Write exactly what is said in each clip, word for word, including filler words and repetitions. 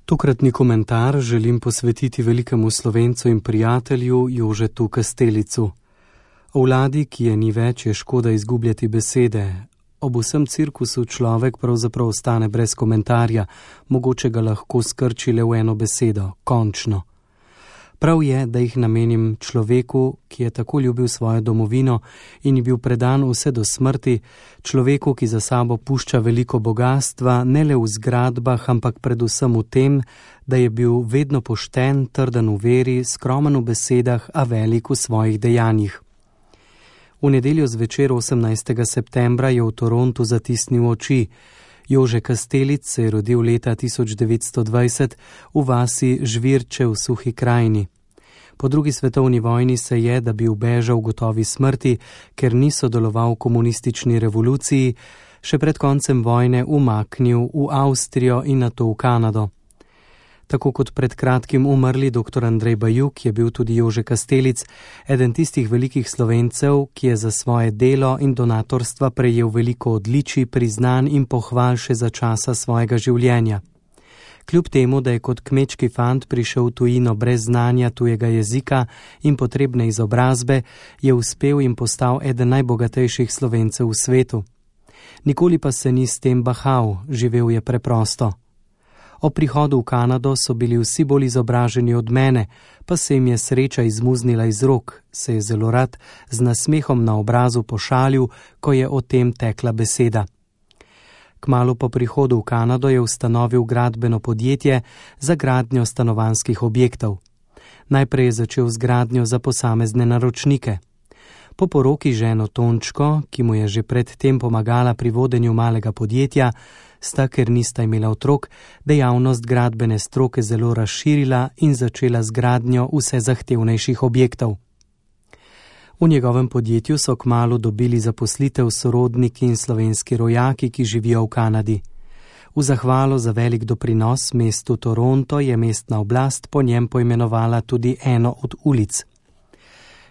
Tokratni komentar želim posvetiti velikemu Slovencu in prijatelju Jožetu Kastelicu. O vladi, ki je ni več, je škoda izgubljati besede. Ob vsem cirkusu človek pravzaprav ostane brez komentarja, mogoče ga lahko skrči le v eno besedo, končno. Prav je, da jih namenim človeku, ki je tako ljubil svojo domovino in je bil predan vse do smrti, človeku, ki za sabo pušča veliko bogastva, ne le v zgradbah, ampak predvsem v tem, da je bil vedno pošten, trden v veri, skromen v besedah, a velik v svojih dejanjih. V nedeljo zvečer osemnajstega septembra je v Torontu zatisnil oči. Jože Kastelic se je rodil leta tisoč devetsto dvajset v vasi Žvirče v Suhi krajini. Po drugi svetovni vojni se je, da bi ubežal gotovi smrti, ker ni sodeloval v komunistični revoluciji, še pred koncem vojne umaknil v Avstrijo in nato v Kanado. Tako kot pred kratkim umrli doktor Andrej Bajuk, je bil tudi Jože Kastelic eden tistih velikih Slovencev, ki je za svoje delo in donatorstva prejel veliko odličij, priznanj in pohval še za časa svojega življenja. Kljub temu, da je kot kmečki fant prišel v tujino brez znanja tujega jezika in potrebne izobrazbe, je uspel in postal eden najbogatejših Slovencev v svetu. Nikoli pa se ni s tem bahal, živel je preprosto. O prihodu v Kanado so bili vsi bolj izobraženi od mene, pa se jim je sreča izmuznila iz rok, se je zelo rad z nasmehom na obrazu pošalil, ko je o tem tekla beseda. Kmalu po prihodu v Kanado je ustanovil gradbeno podjetje za gradnjo stanovanjskih objektov. Najprej je začel z gradnjo za posamezne naročnike. Po poroki ženo Tončko, ki mu je že pred tem pomagala pri vodenju malega podjetja, sta, ker nista imela otrok, dejavnost gradbene stroke zelo razširila in začela z gradnjo vse zahtevnejših objektov. V njegovem podjetju so kmalu dobili zaposlitev sorodniki in slovenski rojaki, ki živijo v Kanadi. V zahvalo za velik doprinos mestu Toronto je mestna oblast po njem poimenovala tudi eno od ulic.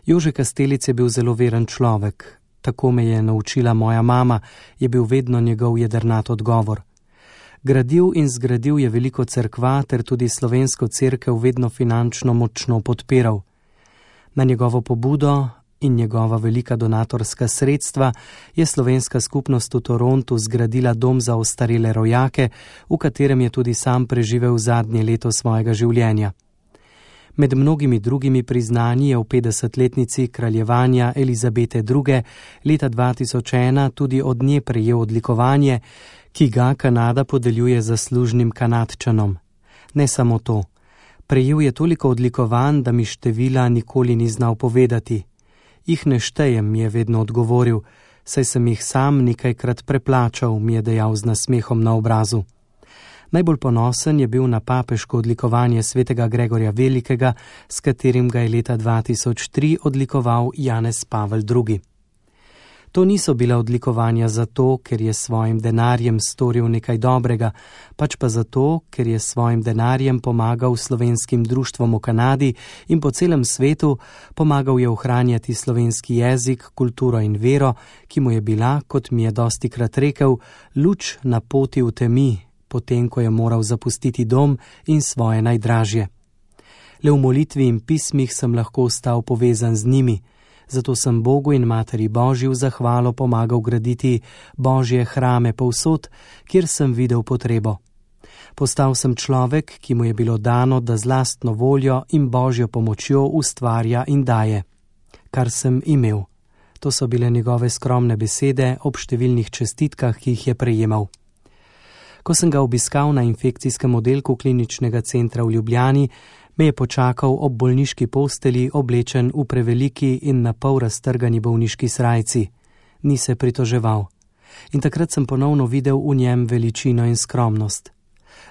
Jože Kastelic je bil zelo veren človek. Tako me je naučila moja mama, je bil vedno njegov jedrnat odgovor. Gradil in zgradil je veliko cerkva ter tudi slovensko cerkev vedno finančno močno podpiral. Na njegovo pobudo in njegova velika donatorska sredstva je slovenska skupnost v Torontu zgradila dom za ostarele rojake, v katerem je tudi sam preživel zadnje leto svojega življenja. Med mnogimi drugimi priznanji je v petdesetletnici kraljevanja Elizabete druge. leta dva tisoč ena tudi od nje prejel odlikovanje, ki ga Kanada podeljuje zaslužnim Kanadčanom. Ne samo to. Prejel je toliko odlikovanj, da mi števila nikoli ni znal povedati. Jih ne štejem, mi je vedno odgovoril, saj sem jih sam nekajkrat preplačal, mi je dejal z nasmehom na obrazu. Najbolj ponosen je bil na papeško odlikovanje svetega Gregorja Velikega, s katerim ga je leta dva tisoč tri odlikoval Janez Pavel drugi. To niso bila odlikovanja zato, ker je svojim denarjem storil nekaj dobrega, pač pa zato, ker je svojim denarjem pomagal slovenskim društvom v Kanadi in po celem svetu, pomagal je ohranjati slovenski jezik, kulturo in vero, ki mu je bila, kot mi je dostikrat rekel, luč na poti v temi, potem ko je moral zapustiti dom in svoje najdražje. Le v molitvi in pismih sem lahko ostal povezan z njimi, zato sem Bogu in Materi Božji v zahvalo pomagal graditi Božje hrame povsod, kjer sem videl potrebo. Postal sem človek, ki mu je bilo dano, da z lastno voljo in Božjo pomočjo ustvarja in daje. Kar sem imel. To so bile njegove skromne besede ob številnih čestitkah, ki jih je prejemal. Ko sem ga obiskal na infekcijskem oddelku kliničnega centra v Ljubljani, me je počakal ob bolniški posteli, oblečen v preveliki in na pol raztrgani bolniški srajci. Ni se pritoževal. In takrat sem ponovno videl v njem veličino in skromnost.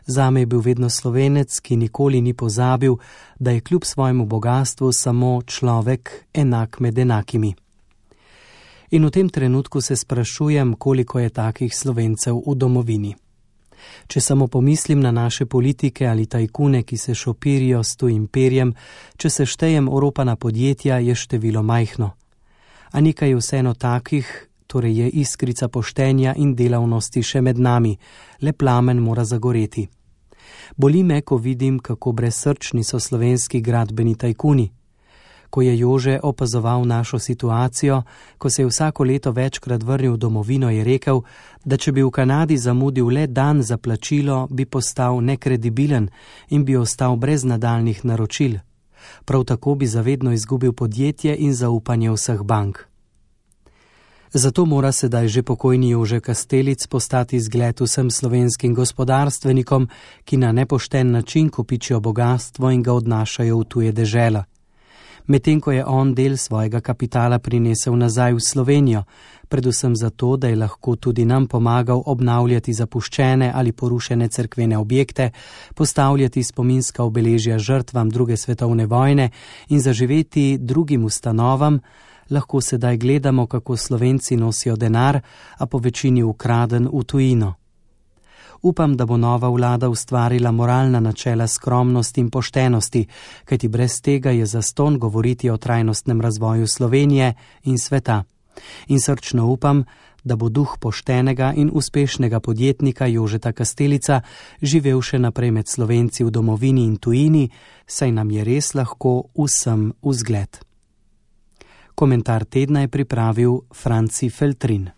Zame je bil vedno Slovenec, ki nikoli ni pozabil, da je kljub svojemu bogastvu samo človek enak med enakimi. In v tem trenutku se sprašujem, koliko je takih Slovencev v domovini. Če samo pomislim na naše politike ali tajkune, ki se šopirijo s tujim perjem, če se štejem oropana podjetja, je število majhno. A nekaj je vseeno takih, torej je iskrica poštenja in delavnosti še med nami, le plamen mora zagoreti. Boli me, ko vidim, kako brezsrčni so slovenski gradbeni tajkuni. Ko je Jože opazoval našo situacijo, ko se je vsako leto večkrat vrnil v domovino, je rekel, da če bi v Kanadi zamudil le dan za plačilo, bi postal nekredibilen in bi ostal brez nadaljnih naročil. Prav tako bi zavedno izgubil podjetje in zaupanje vseh bank. Zato mora sedaj že pokojni Jože Kastelic postati zgled vsem slovenskim gospodarstvenikom, ki na nepošten način kopičijo bogastvo in ga odnašajo v tuje dežela. Medtem ko je on del svojega kapitala prinesel nazaj v Slovenijo, predvsem zato, da je lahko tudi nam pomagal obnavljati zapuščene ali porušene cerkvene objekte, postavljati spominska obeležja žrtvam druge svetovne vojne in zaživeti drugim ustanovam, lahko sedaj gledamo, kako Slovenci nosijo denar, a po večini ukraden v tujino. Upam, da bo nova vlada ustvarila moralna načela skromnosti in poštenosti, kajti brez tega je zastonj govoriti o trajnostnem razvoju Slovenije in sveta. In srčno upam, da bo duh poštenega in uspešnega podjetnika Jožeta Kastelica živel še naprej med Slovenci v domovini in tujini, saj nam je res lahko vsem vzgled. Komentar tedna je pripravil Franci Feltrin.